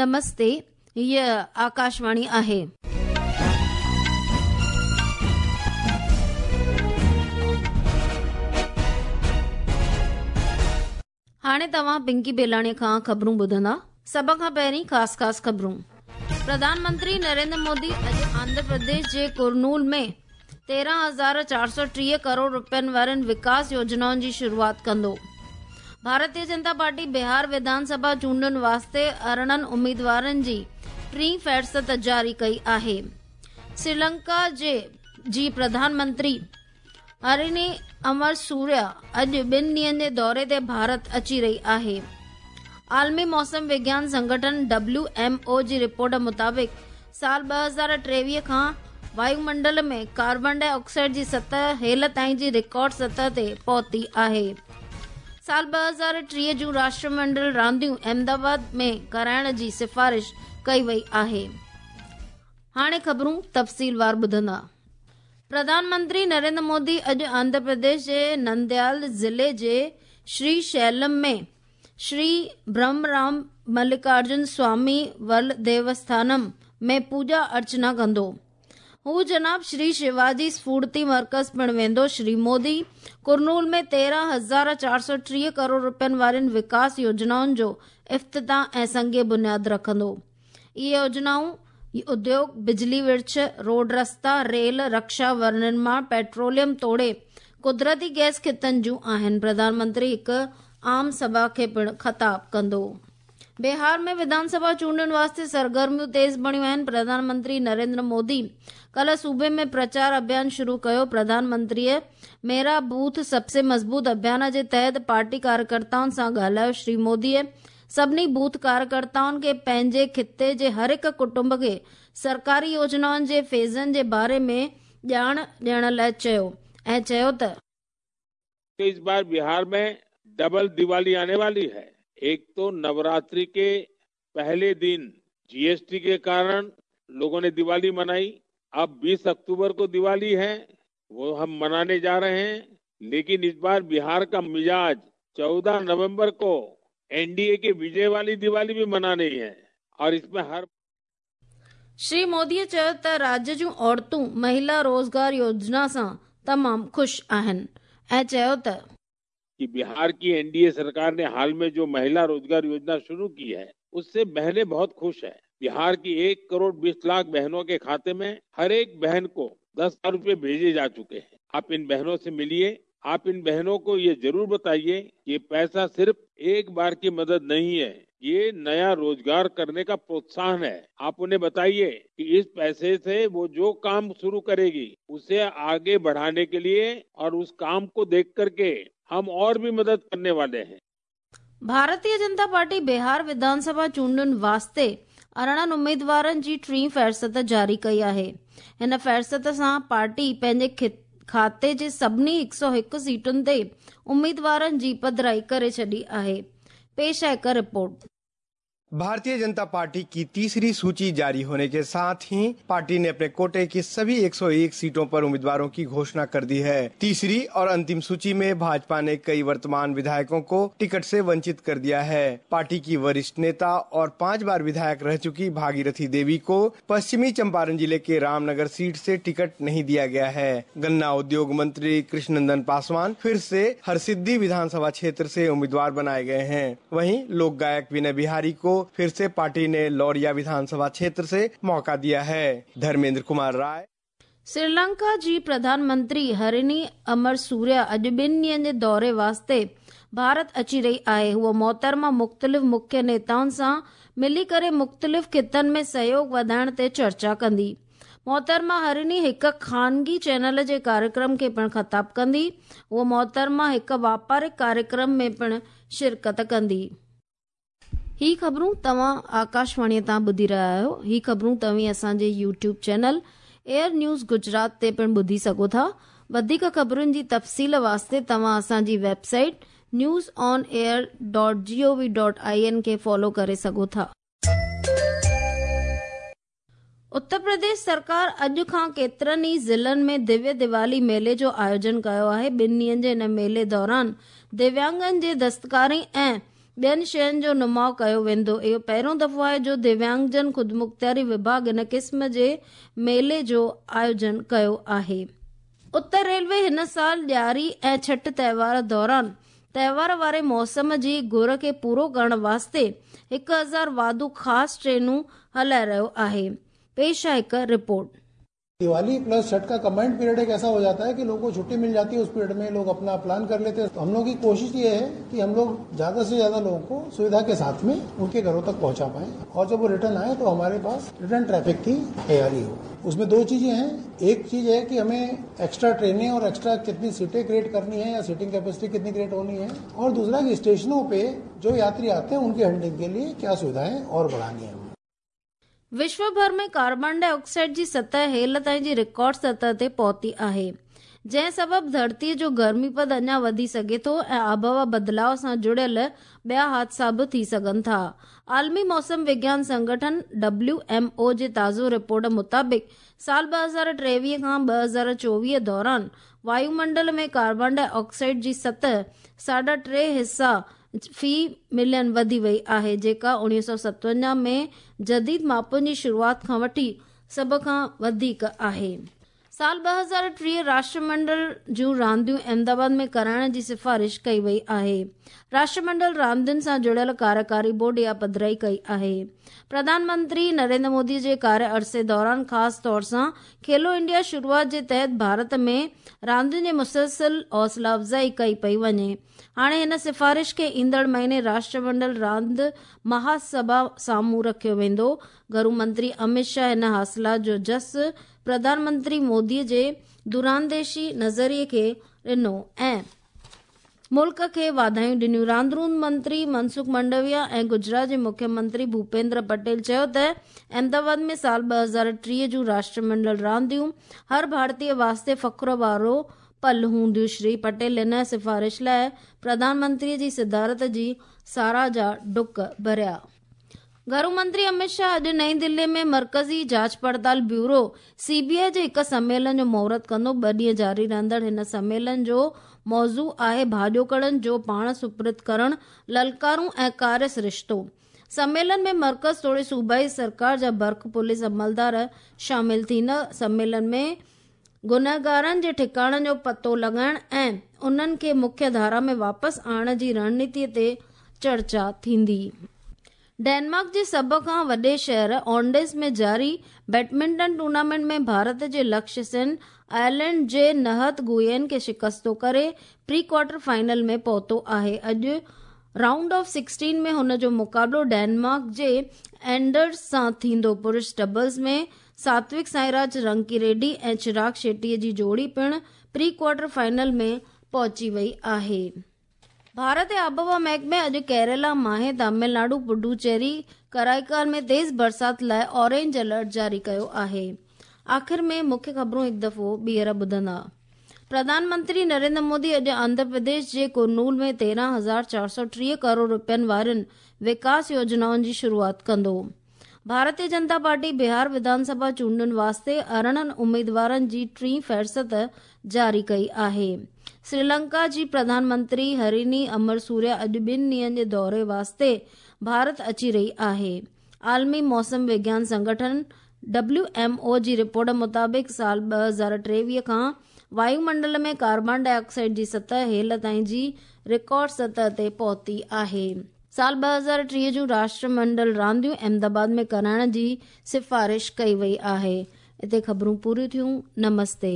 نمستي، هيء آڪاشواڻي آهي. هاڻي توهان پنڪي بيلاڻي کان خبرون ٻڌندا. سڀ کان پهرين خاص خاص خبرون. پرڌان منتري نريندر مودي اڄ آنڌرا پرديش جي ڪرنول ۾ 13430 ڪروڙ رپين وارين وڪاس يوجنائن جي شروعات ڪندو. ڀارتيه جنتا پارٽي بهار وڌان سڀا چونڊن واسطي 18 اميدوارن جي ٽين فهرست جاري ڪئي آهي. سريلنڪا جي جي پرڌان منتري هرني امر سوريا اڄ ٻن ڏينهن جي دوري تي ڀارت اچي رهي آهي. عالمي موسم وگيان سنگٺن ڊبليو ايم او جي رپورٽ مطابق سال 2023 کان وايومنڊل ۾ ڪاربان ڊاء آڪسائيڊ جي سطح هيل تائين جي رڪارڊ سطح تي پهتي آهي. سال 2030 جون راشٽرمنڊل رانديون احمد آباد ۾ ڪرائڻ جي سفارش ڪئي وئي آهي. هاڻي خبرون تفصيلوار ٻڌندا. پرڌان منتري نريندر مودي اڄ آنڌرا پرديش جي ننديال ضلعي جي شري شيلم ۾ شري برهمرام ملڪارجن سوامي ورلڊ ديوسٿانم ۾ پوڄا ارچنا ڪندو. هو جناب شري شيواجي سڦورتي مرڪز پڻ ويندو. شري مودي ڪرنول ۾ 13430 ڪروڙ رپين وارين وڪاس يوجنائن جو افتتاح ۽ سنگ بنياد رکندو. اهي يوجنائون اديوگ، بجلي ورڇ، روڊ رستا، ريل، رڪشا، ونرماڻ، پيٽروليم توڙي قدرتي گئس خطن جون آهن. پرڌان منتري هڪ عام سڀا کي پڻ خطاب ڪندو. بهار ۾ وڌان سڀا چونڊن واسطي سرگرميون تيز بڻيون آهن. پرڌان منتري نريندر مودي ڪلهه صوبي ۾ پرچار اڀيان شروع ڪيو. پرڌان منتريء ميرا بوٿ سب سي مضبوط اڀيان جي تحت پارٽي ڪاريڪرتائن سان ڳالهايو. شري موديء سڀني بوٿ ڪاريڪرتائن کي پنهنجي خطي جي هر هڪ ڪٽنب کي سرڪاري يوجنائن جي فيضن جي باري ۾ ڄاڻ ڏيڻ لاء چيو ۽ چيو ته. اس بار بهار ۾ ڊبل ديوالي آني والي هي، ايڪ تو نوراتري ڪي پهلي دن جي ايس ٽي ڪي ڪارڻ لوگون ني ديوالي منائي، اب 20 اڪتوبر ڪو ديوالي هي، وو هم مناني جا رهي هين، ليڪن اس بار بهار ڪا مزاج 14 نومبر ڪو اين ڊي اي ڪي وجي والي ديوالي ڀي مناني هي اور اس ۾ هر. شري مودي چيو ته راجيه جون عورتون مهلا روزگار يوجنا سان تمام خوش آهن ۽ چيو ته. ڪي بهار ڪي اين ڊي اي سرڪار ني حال ۾ جو مهلا روزگار يوجنا شروع ڪي هي اس سي بهنين بهت خوش هي. بهار ڪي ايڪ ڪروڙ 20 لاک بهنون ڪي کاتي ۾ هر ايڪ بهن ڪو 10,000 روپي ڀيجي جا چڪي هين. آپ ان بهنون سي مليي آپ ان بهنون ڪو يه ضرور بتائيي ڪي يه پئسا صرف ايڪ بار ڪي مدد نهين هي يه نيا روزگار ڪرني ڪا پروتساهن هي. آپ انهين بتائيي ڪي اس پئسي سي وو جو ڪام شروع ڪريگي اسي آگي بڙهاني ڪي ليي اور اس ڪام ڪو ديک ڪر ڪي هم اور ڀي مدد ڪرني والي هين. ڀارتيه جنتا پارٽي بهار وڌان سڀا چونڊن واسطي 18 اميدوارن جي ٽين فهرست جاري ڪئي آهي. هن فهرست سان پارٽي پنهنجي کاتي جي سڀني 101 سيٽن تي اميدوارن جي پڌرائي ڪري ڇڏي آهي. پيش آهي هڪ رپورٽ. भारतीय जनता पार्टी की तीसरी सूची जारी होने के साथ ही पार्टी ने अपने कोटे की सभी 101 सीटों पर उम्मीदवारों की घोषणा कर दी है। तीसरी और अंतिम सूची में भाजपा ने कई वर्तमान विधायकों को टिकट से वंचित कर दिया है। पार्टी की वरिष्ठ नेता और 5 बार विधायक रह चुकी भागीरथी देवी को पश्चिमी चंपारण जिले के रामनगर सीट से टिकट नहीं दिया गया है। गन्ना उद्योग मंत्री कृष्णनंदन पासवान फिर से हरसिद्धि विधानसभा क्षेत्र से उम्मीदवार बनाए गए हैं। वहीं लोक गायक विनय बिहारी को फिर से पार्टी ने लौरिया विधानसभा क्षेत्र से मौका दिया है। धर्मेंद्र कुमार राय। श्रीलंका जी प्रधान मंत्री हरिणी अमर सूर्या अॼु ॿिनि ॾींहनि जे दौरे वास्ते भारत अची रही आहे। हूअ मोहतरमा मुख़्तलिफ़ मुख्य नेताउनि सां मिली करे मुख़्तलिफ़ ख़ितनि में सहयोग वधाइण ते चर्चा कंदी। मोहतरमा हरिणी हिकु ख़ानगी चैनल जे कार्यक्रम खे पिणु ख़िताब कंदी। हूअ मोहतरमा हिकु वापारिक कार्यक्रम में पिणु शिरकत कंदी। ही ख़बरूं तव्हां आकाशवाणीअ तां ॿुधी रहिया आहियो। ही ख़बरूं तव्हीं असांजे YouTube channel air news Gujarat ते पिणु ॿुधी सघो था। वधीक ख़बरुनि जी तफ़सील वास्ते तव्हां असांजी website news on air dot G O V dot I N खे फॉलो करे सघो था। اتر پرديش سرڪار اڄ کان ڪيترن ئي ضلعن ۾ دويه ديوالي ميلي جو آيوجن ڪيو آهي. ٻن ڏينهن جي ان ميلي دوران دويانگن جي دستڪاري ۽ ٻين شين جو نماءُ ڪيو ويندو. اهو پهريون دفعو آهي جو دويانگجن خودمختياري وڀاڳ ان قسم جي ميلي جو آيوجن ڪيو آهي. اتر ريلوي هن سال ڏياري ۽ ڇٺ تهوار دوران تهوار واري موسم جي گهر کي پورو ڪرڻ واسطي 1000 واڌو خاص ٽرينون هلائي رهيو آهي. پيش آهي هڪ رپورٽ. दिवाली प्लस छठ का कंबाइंड पीरियड एक ऐसा हो जाता है कि लोगों को छुट्टी मिल जाती है, उस पीरियड में लोग अपना प्लान कर लेते हैं। तो हम लोग की कोशिश ये है कि हम लोग ज्यादा से ज्यादा लोगों को सुविधा के साथ में उनके घरों तक पहुंचा पाए और जब वो रिटर्न आए तो हमारे पास रिटर्न ट्रैफिक की तैयारी हो। उसमें दो चीजें हैं। एक चीज है कि हमें एक्स्ट्रा ट्रेनें और एक्स्ट्रा कितनी सीटें क्रिएट करनी है या सीटिंग कैपेसिटी कितनी क्रिएट होनी है, और दूसरा कि स्टेशनों पे जो यात्री आते हैं उनके हैंडलिंग के लिए क्या सुविधाएं और बढ़ानी है। विश्व भर में कार्बन डाइऑक्साइड जी सतह हेल ताईं जी रिकॉर्ड सतह ते पहुती आहे, जंहिं सबबु धरतीअ जो गर्मी पद अञा वधी सघे थो ऐं आबहवा बदिलाव सां जुड़ियल ॿिया हादसा बि थी सघनि था। आलमी मौसम विज्ञान संगठन WMO जे ताज़ो रिपोर्ट मुताबिक़ साल 2023 खां 2024 दौरान वायुमंडल में कार्बन डाइऑक्साइड जी सतह 3.5 हिस्सा फी मिलियन वधी वई आहे, जेका 1957 में जदीद मापन जी शुरूआत खां वठी सभ खां वधीक आहे। साल 2030 राष्ट्रमंडल जूं रांदियूं अहमदाबाद में कराइण जी सिफारिश कई वई आहे। राष्ट्रमंडल रांदियुनि सां जुड़ियल कार्यकारी बोर्ड इहा पधराई कई आहे। प्रधानमंत्री नरेंद्र मोदी जे कार्य अरसे दौरान ख़ासि तौर सां खेलो इंडिया शुरूआत जे तहत भारत में रांदियुनि जी मुसलसिल हौसला अफ़ज़ाई कई पई वञे। हाणे हिन सिफारिश खे ईंदड़ महीने राष्ट्रमंडल रांदि महासभा साम्हूं रखियो वेंदो। घरू मंत्री अमित शाह हिन हासिलात जो जस प्रधानमंत्री मोदी जे दूरांदेशी नज़रिए खे ॾिनो ऐं मुल्क खे वाधायूं ॾिनियूं। रांदरूं मंत्री मनसुख मंडविया ऐं गुजरात जे मुख्यमंत्री भूपेंद्र पटेल चयो त अहमदाबाद में साल 2030 जूं राष्ट्रमंडल रांदियूं हर भारतीय वास्ते फ़ख्र वारो पल हूंदियूं। श्री पटेल हिन सिफारिश लाइ प्रधानमंत्रीअ जी सदारत जी साराह जा डुक भरिया। घरू मंत्री अमित शाह अॼु नई दिल्ली में मर्कज़ी जांच पड़ताल ब्यूरो CBI जे हिकु सम्मेलन जो मुहूर्त कंदो। 2 ॾींहं जारी रहंदड़ हिन सम्मेलन जो मौज़ू आहे भाॼोकड़नि जो पाण सुपुर्द करणु, ललकारूं ऐं कार्य सरिश्तो। सम्मेलन में मर्कज़ तोड़े सूबाई सरकार जा बर्ख पुलिस अमलदार शामिल थींदा। सम्मेलन में गुनहगारनि जे ठिकाणनि जो पतो लॻाइण ऐं उन्हनि खे मुख्य धारा में वापसि आणण जी रणनीति ते चर्चा थींदी। डेनमार्क जे सभ खां वॾे शहर ऑन्डेस में जारी बैडमिंटन टूर्नामेंट में भारत जे लक्ष्य सेन आयरलैंड जे नहत गुयेन खे शिकस्तो करे प्री क्वार्टर फाइनल में पहुतो आहे। अॼु राउंड ऑफ 16 में हुन जो मुक़ाबिलो डेनमार्क जे एंडर्स सां थींदो। पुरुष डबल्स में सात्विक साईराज रंकी रेड्डी ऐं चिराग शेट्टीअ जी जोड़ी पिणु प्री क्वार्टर फाइनल में पहुची वई आहे। भारत जे आबहवा महकमे अॼु केरला, माहे, तमिलनाडु, पुडुचेरी, कराईकाल में तेज़ बरसात लाइ ऑरेंज अलर्ट जारी कयो आहे। आख़िर में मुख्य ख़बरूं हिकु दफ़ो ॿीहर ॿुधंदा। प्रधानमंत्री नरेंद्र मोदी अॼु आंध्र प्रदेश जे कुरनूल में 13,430 करोड़ रुपयनि वारनि विकास योजनाउनि जी शुरूआत कंदो। भारतीय जनता पार्टी बिहार विधानसभा चूंडुनि वास्ते 18 उम्मीदवारनि जी टीं फ़हरिस्त जारी कई आहे। श्रीलंका जी प्रधानमंत्री हरिनी अमरसूर्या अॼु 2 ॾींहनि जे दौरे वास्ते भारत अची रही आहे। आलमी मौसम विज्ञान संगठन WMO जी रिपोर्ट मुताबिक़ साल 2023 खां वायुमंडल में कार्बन डाइऑक्साइड जी सतह हेल ताईं जी रिकॉर्ड सतह ते पहुती आहे। साल 2030 जूं राष्ट्रमंडल रांदियूं अहमदाबाद में कराइण जी सिफारिश कई वई आहे। हिते ख़बरूं पूरियूं थियूं। नमस्ते।